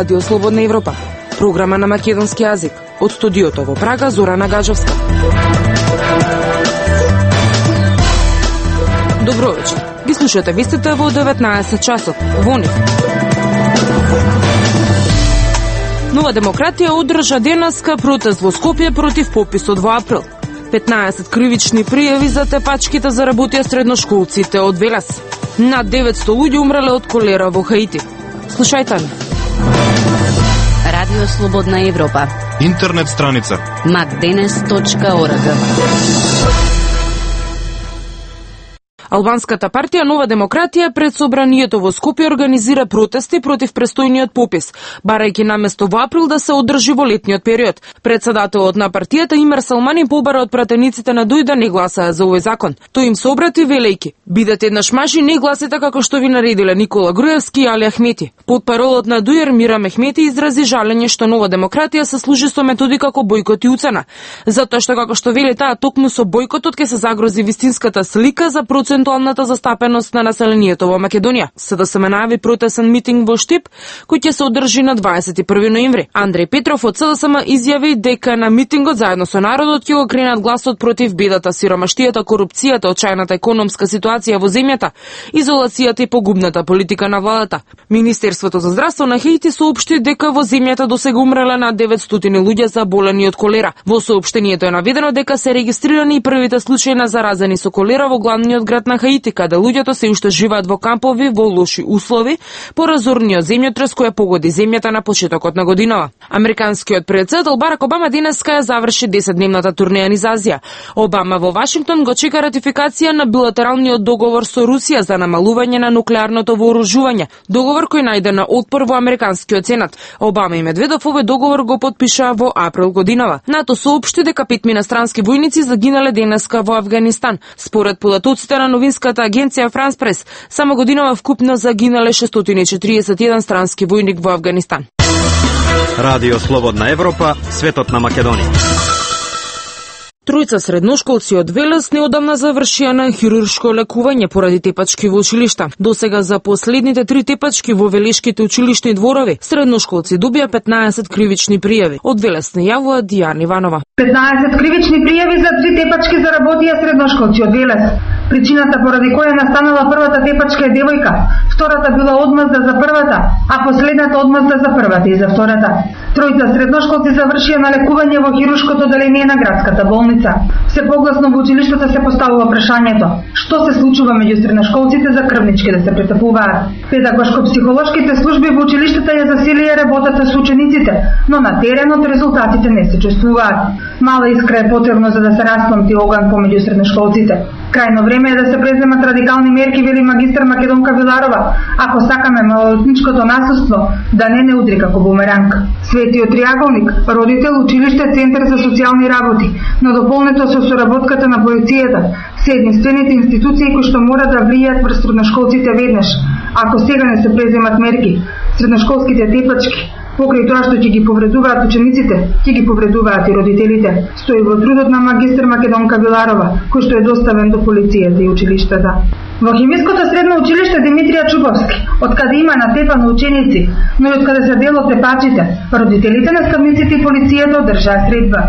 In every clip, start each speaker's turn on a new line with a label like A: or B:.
A: Радио Слободна Европа, програма на македонски јазик. Од студиото во Прага, Зорана Гаджовска. Добро вечер. Ги слушате вестите во 19 часот. Во нив. Нова демократија одржа денеска протест во Скопје против пописот во април. 15 кривични пријави за тепачките заработија средношколците од Велес. Над 900 луѓе умреле од колера во Хаити. Слушајте ни.
B: Радио Слободна Европа.
C: Интернет страница
B: macdenes.org.
A: Албанската партија Нова демократија пред собранието во Скопје организира протести против престојниот попис, барајќи наместо во април да се одржи во летниот период. Председателот на партијата Имер Салмани побара од пратениците на ДУИ да не гласаат за овој закон. Тој им се обрати велејќи: бидете еднаш мажи, не гласите како што ви наредиле Никола Груевски и Али Ахмети. Потпаролот на ДУИ Мира Мехмети изрази жалење што Нова демократија се служи со методи како бојкот и уцена, затоа што како што вели таа, токму со бојкотот ќе се загрози вистинската слика за процентуалната застапеност на населението во Македонија. СДСМ најави протесен митинг во Штип, кој ќе се одржи на 21 ноември. Андреј Петров од СДСМ изјави дека на митингот заедно со народот ќе го кренат гласот против бедата, сиромаштијата, корупцијата, очајната економска ситуација во земјата, изолацијата и погубната политика на владата. Министерството за здравство на Хаити соопшти дека во земјата досега умреле над 900 луѓе заболени од колера. Во соопштението е наведено дека се регистрирани и првите случаи на заразени со колера во главниот град на Хаити, каде луѓето се уште живеат во кампови во лоши услови по разорниот земјотрес кој погоди земјата на почетокот на годинава. Американскиот претседател Барак Обама денеска ја заврши 10-дневната турнеја низ Азија. Обама во Вашингтон го чека ратификација на билатералниот договор со Русија за намалување на нуклеарното вооружување, договор кој најде на отпор во американскиот сенат. Обама и Медведов овој договор го потпиша во април годинава. НАТО соопшти дека 5 инострански војници загинале денеска во Авганистан. Според податоците на новинската агенција Франс Прес, само годинава вкупно загинале 641 странски војник во Авганистан.
D: Радио Слободна Европа, светот на Македонија.
A: Тројца средношколци од Велес неодамна завршија на хируршко лекување поради тепачки во училишта. Досега за последните 3 тепачки во велешките училишни дворови, средношколци добија 15 кривични пријави. Од Велес не јавува Дијана Иванова.
E: 15 кривични пријави за 3 тепачки заработија средношколци од Велес. Причината поради која настанала првата тепачка е девојка, втората била одмазда за првата, а последната одмазда за првата и за втората. Тројца средношколци завршија на лекување во хируршкото оделение на градската болница. Се погласно во училиштата се поставува прашањето: што се случува меѓу средношколците за крвнички да се претапуваат? Педагошко-психолошките служби во училиштата ја засилија работата со учениците, но на теренот резултатите не се чувствуваат. Мала искра е потребно за да се распламти оган помеѓу средношколците. Крајно време е да се преземат радикални мерки, вели магистар Македонка Виларова, ако сакаме малолетничкото насилство да не удри како бумеранг. Светиот триаголник, родител, училиште, центар за социјални работи, но дополнето со соработката на полицијата, се единствените институции кои што мора да влијаат врз средношколците веднаш. Ако сега не се преземат мерки, средношколските тепачки, покрај тоа што ќе ги повредуваат учениците, ќе ги повредуваат и родителите, стои во трудот на магистар Македонка Виларова, кој што е доставен до полицијата и училиштата. Во химиското средно училиште Димитрија Чубовски, откаде има натепано ученици, но и откаде се дел од тепачите, родителите, наставниците и полицијата одржаа средба.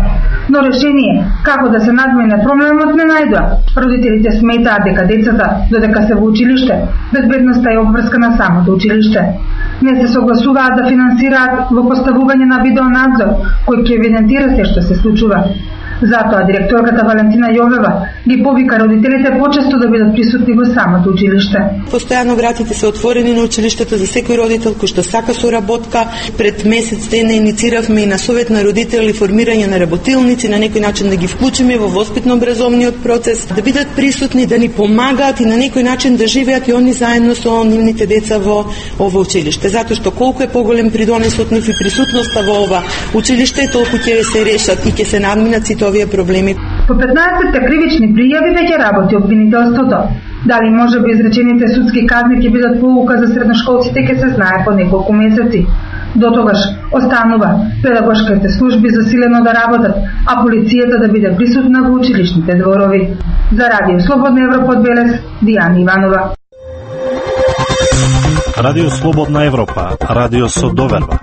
E: Но решение како да се надмине проблемот не најдоа. Родителите сметаат дека децата, додека се во училиште, безбедноста е обврскана самото училиште. Не се согласуваат да финансираат во поставување на видеонадзор, кој ќе евидентира се што се случува. Затоа директорката Валентина Јовева ги повика родителите почесто да бидат присутни во самото училиште.
F: Постојано вратите се отворени на училиштето за секој родител кој што сака соработка. Пред месец дена иницииравме и на совет на родители формирање на работилници, на некој начин да ги вклучиме во воспитно-образовниот процес, да бидат присутни, да ни помагаат и на некој начин да живеат и они заедно со нивните деца во ова училиште. Затоа што колку е поголем придонесот нив и присутноста во ова училиште, толку ќе се решат и ќе се надминат сите овие проблеми.
E: По 15 кривични пријави веќе работи обвинителството. Дали може би изречените судски казни ќе бидат поука за средношколците ќе се знае по неколку месеци. До тогаш останува педагошките служби засилено да работат, а полицијата да биде присутна во училишните дворови. За Радио Слободна Европа од Велес, Дијана Иванова.
C: Радио Слободна Европа, радио со доверба.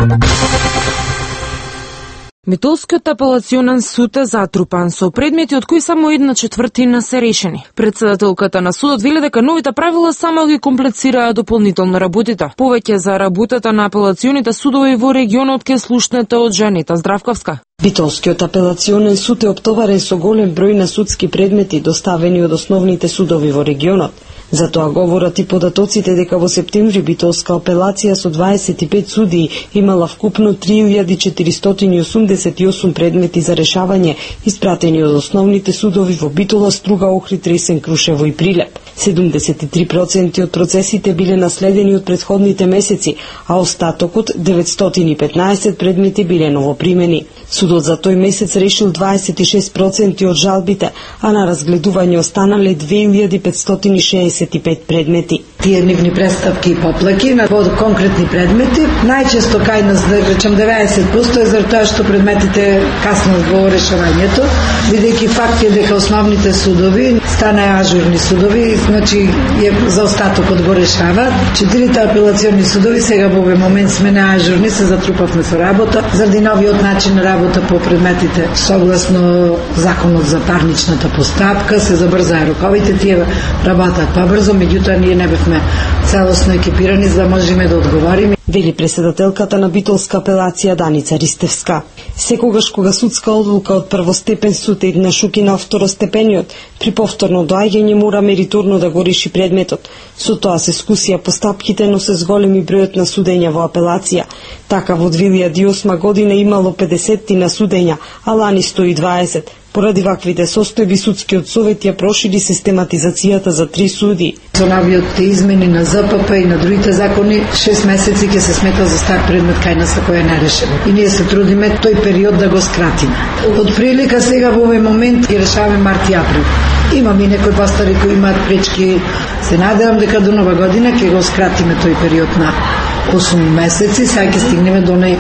A: Метолскиот апелационен суд е затрупан со предмети од кои само 1/4 се решени. Председателката на судот вели дека новите правила само ги комплицираат дополнително работите. Повеќе за работата на апелационите судови во регионот ке слушнете од Жанета Здравковска.
G: Битолскиот апелационен суд е оптоварен со голем број на судски предмети доставени од основните судови во регионот. Затоа говорат и податоците дека во септември Битолска апелација со 25 судии имала вкупно 3488 предмети за решавање испратени од основните судови во Битола, Струга, Охрид, Ресен, Крушево и Прилеп. 73% од процесите биле наследени од претходните месеци, а остатокот 915 предмети биле новопримени. Судот за тој месец решил 26% од жалбите, а на разгледување останале 2565 предмети.
H: Тие нивни представки и поплаки на конкретни предмети, најчесто кај нас, да речем 90% е за тоа што предметите каснат во решавањето, бидејќи факт е дека основните судови станаа ажурни судови, значи за остатокот го решаваат. 4 апелациони судови сега во овој момент сме на ажурни, се затрупавме со работа заради новиот начин на работа по предметите. Согласно законот за парничната постапка се забрзаа роковите, тие работат побрзо, меѓутоа ние не бевме целосно екипирани за да можеме да одговориме.
G: Вели председателката на Битолска апелација Даница Ристевска. Секогаш кога судска одлука од првостепен суд е на шуки на второстепениот, при повторно доаѓање мора мериторно да го реши предметот. Со тоа се скусија постапките, но се зголеми бројот на судења во апелација. Така во 2008 година имало 50 на судења, а лани 120. Поради ваквите состојби судскиот совет ја прошири систематизацијата за 3 суди.
H: Со новиот измени на ЗПП и на другите закони, 6 месеци ќе се смета за стар предмет кај нас ако е нерешено. И ние се трудиме тој период да го скратиме. Од прилика сега во овој момент ги решаваме март и април. Имам и некои пастори кои имаат пречки. Се надевам дека до нова година ќе го скратиме тој период на 8 месеци, сега ќе стигнеме до нај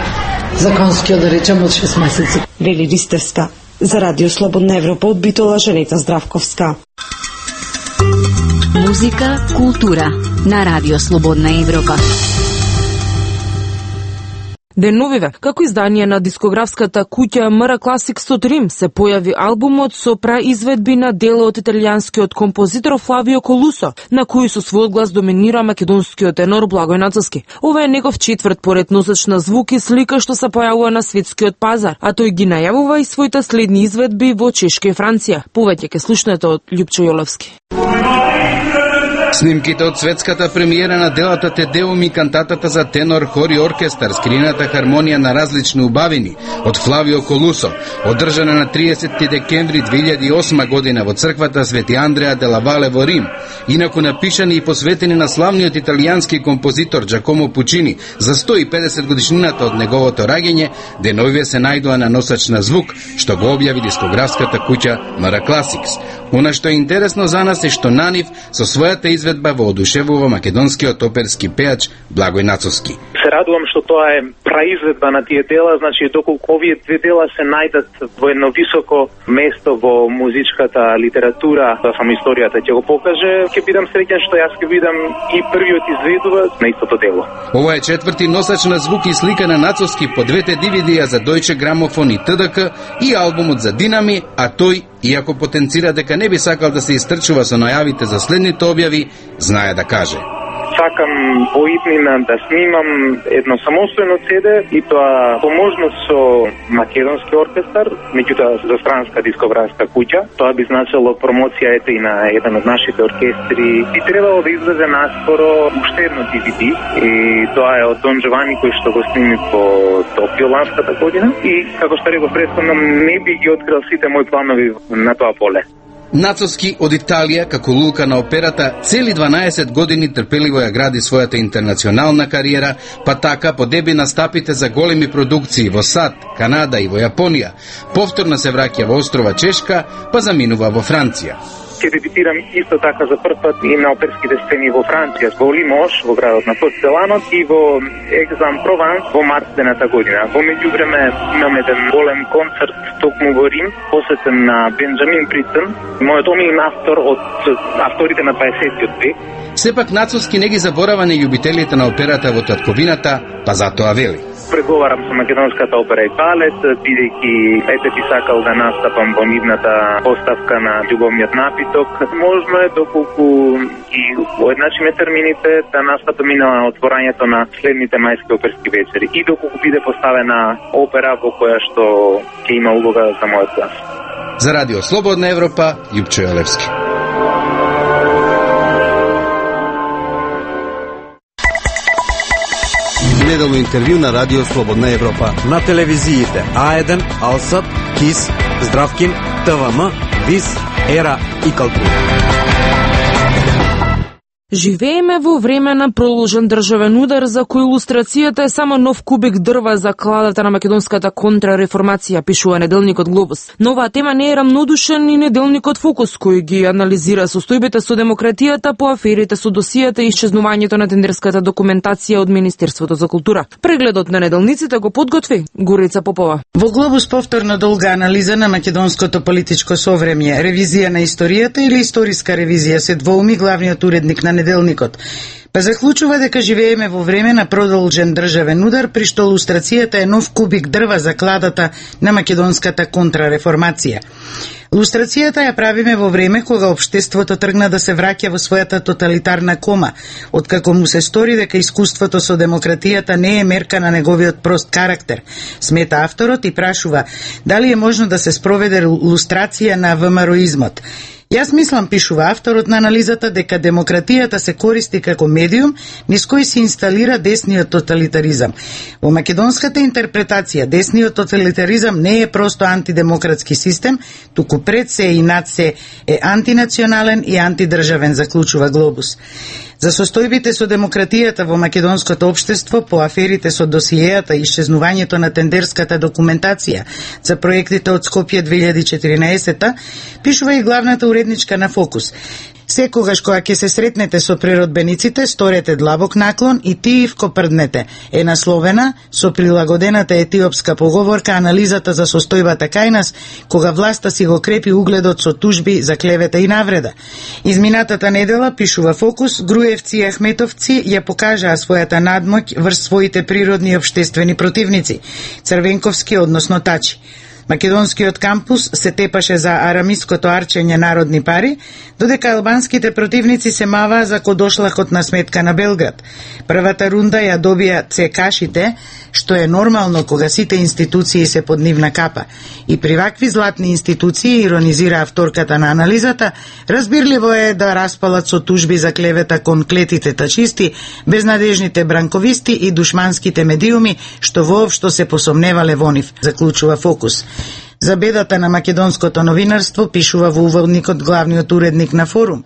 H: законскиот, да речем, од 6 месеци.
G: Вели Ристевска. За Радио Слободна Европа од Битола, Жанета Здравковска.
B: Музика, култура на Радио Слободна Европа.
A: Деновиве, како издание на дискографската куќа Мара Classics од Рим, се појави албумот со праизведби на дела од италијанскиот композитор Флавио Колусо, на кој со својот глас доминира македонскиот тенор Благој Нацовски. Ова е негов четврт поред носеч на звук и слика што се појавува на светскиот пазар, а тој ги најавува и своите следни изведби во Чешка и Франција. Повеќе ке слушнете од Љупчо Јолевски.
I: Снимките од светската премиера на делата Те Деум и кантатата за тенор, хор и оркестар, скрината хармонија на различни убавини од Флавио Колусо, одржана на 30 декември 2008 година во црквата Свети Андреа де ла Вале во Рим, инаку напишани и посветени на славниот италијански композитор Джакомо Пучини за 150 годишнината од неговото раѓање, деновиве се најдоа на носач на звук, што го објави дискографската куќа Mara Classics. Она што е интересно за нас е што на нив со својата изведба воодушевува македонскиот оперски пеач Благој Нацовски.
J: Се радувам што тоа е праизведба на тие дела, значи доколку овие две дела се најдат во едно високо место во музичката литература, тоа само историјата ќе го покаже, ќе бидам среќен што јас ќе видам и првиот изведувач на истото дело.
I: Ова е четврти носач на звук и слика на Нацовски по двете DVD-ја за Deutsche Grammophon и ТДК и албумот за Динами, а тој, иако потенцира дека не би сакал да се истрчува со најавите за следните објави, знае да каже.
J: Сакам во иднина да снимам едно самостојно CD и тоа по можност со македонски оркестар, меѓутоа за странска дискографска куќа. Тоа би значило промоција ете и на еден од нашите оркестри. Би требало да излезе наскоро уште едно DVD и тоа е од Дон Джовани кој што го сними по Токио ланската година и како што реков претходно не би ги открил сите мои планови на тоа поле.
I: Нацовски од Италија, како лулка на операта, цели 12 години трпеливо ја гради својата интернационална кариера, па така подеби настапите за големи продукции во САД, Канада и во Јапонија. Повторно се враќа во острова Чешка, па заминува во Франција.
J: ќе дебютирам исто така за прв пат и на оперските сцени во Франција, во Лимош, во градот на Порцеланот и во Екзам-Прованс во март дената година. Во меѓувреме имаме еден голем концерт токму во Рим, посветен на Бенџамин Бритон, мојот омилен автор од авторите на 20-тиот век.
I: Сепак Нацовски не ги заборава на љубителите на операта во татковината, па затоа вели:
J: преговарам со македонската опера и балет, бидејќи би сакал да настапам во нивната поставка на Љубовниот напиток. Можно е доколку и уедначиме термините да настапам и на отворањето на следните мајски оперски вечери и доколку биде поставена опера во која што ќе има улога за мојот глас.
I: За Радио Слободна Европа, Јупчо Јолевски.
D: Неделно интервју на Радио Слободна Европа.
K: На телевизиите А1, Алсат, КИС, Здравкин, ТВМ, ВИС, ЕРА и Калтура.
A: Живееме во време на продолжен државен удар за кој илустрацијата е само нов кубик дрва за кладата на македонската контрареформација, пишува неделникот Глобус. Но оваа тема не е рамнодушен и неделникот Фокус, кој ги анализира состојбите со демократијата по аферите со досијата и исчезнувањето на тендерската документација од Министерството за култура. Прегледот на неделниците го подготви Горица Попова.
L: Во Глобус повторно долга анализа на македонското политичко совремје, ревизија на историјата или историска ревизија, се двоуми главниот уредник на неделникот. Па заклучува дека живееме во време на продолжен државен удар, при што илустрацијата е нов кубик дрва за кладата на македонската контрареформација. Илустрацијата ја правиме во време кога општеството тргна да се враќа во својата тоталитарна кома, откако му се стори дека искуството со демократијата не е мерка на неговиот прост карактер, смета авторот и прашува дали е можно да се спроведе илустрација на ВМРО-измот. Јас мислам, пишува авторот на анализата, дека демократијата се користи како медиум низ кој се инсталира десниот тоталитаризам. Во македонската интерпретација, десниот тоталитаризам не е просто антидемократски систем, туку пред се и над се е антинационален и антидржавен, заклучува Глобус. За состојбите со демократијата во македонското општество, по аферите со досиејата и исчезнувањето на тендерската документација за проектите од Скопје 2014, пишува и главната уредничка на Фокус. Секогаш кога ќе се сретнете со природбениците, сторете длабок наклон и тивко прднете, е насловена со прилагодената етиопска поговорка анализата за состојбата кај нас, кога власта си го крепи угледот со тужби за клевета и навреда. Изминатата недела, пишува Фокус, Груевци и Ахметовци ја покажаа својата надмоќ врз своите природни и општествени противници, Црвенковски, односно Тачи. Македонскиот кампус се тепаше за арамиското арчење народни пари, додека албанските противници се маваа за кодошлахот на сметка на Белград. Првата рунда ја добија ЦК-шите, што е нормално кога сите институции се под нивна капа. И при вакви златни институции, иронизира авторката на анализата, разбирливо е да распалат со тужби за клевета кон клетите тачисти, безнадежните бранковисти и душманските медиуми, што воопшто се посомневале во нив, заклучува Фокус. За бедата на македонското новинарство, пишува во уводникот главниот уредник на Форум.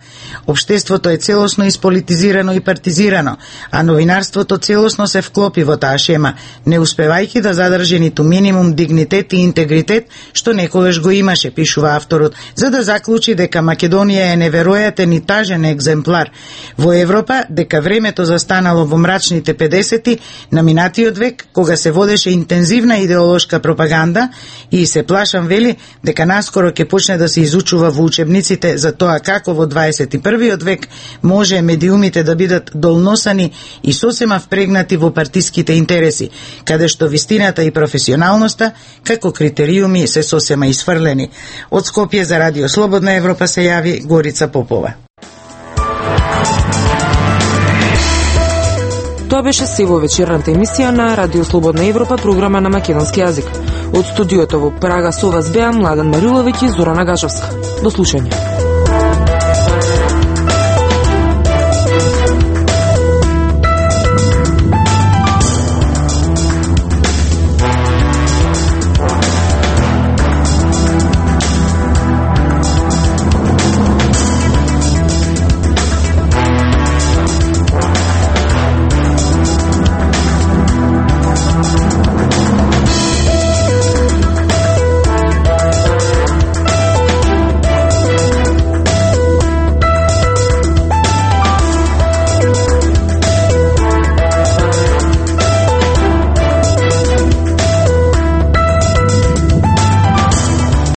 L: Општеството е целосно исполитизирано и партизирано, а новинарството целосно се вклопи во таа шема, не успевајќи да задржи ниту минимум дигнитет и интегритет, што некогаш го имаше, пишува авторот, за да заклучи дека Македонија е неверојатен и тажен екземплар во Европа, дека времето застанало во мрачните 50-ти на минатиот век, кога се водеше интензивна идеолошка пропаганда и се плашам, вели, дека наскоро ќе почне да се изучува во учебниците за тоа како во 21. век може медиумите да бидат долносани и сосема впрегнати во партиските интереси, каде што вистината и професионалноста како критериуми се сосема исфрлени. Од Скопје за Радио Слободна Европа се јави Горица Попова.
A: Тоа беше се во вечерната емисија на Радио Слободна Европа, програма на македонски јазик. Од студиото во Прага со вас беа Младен Мариловиќ и Зорана Гажовска. До слушање.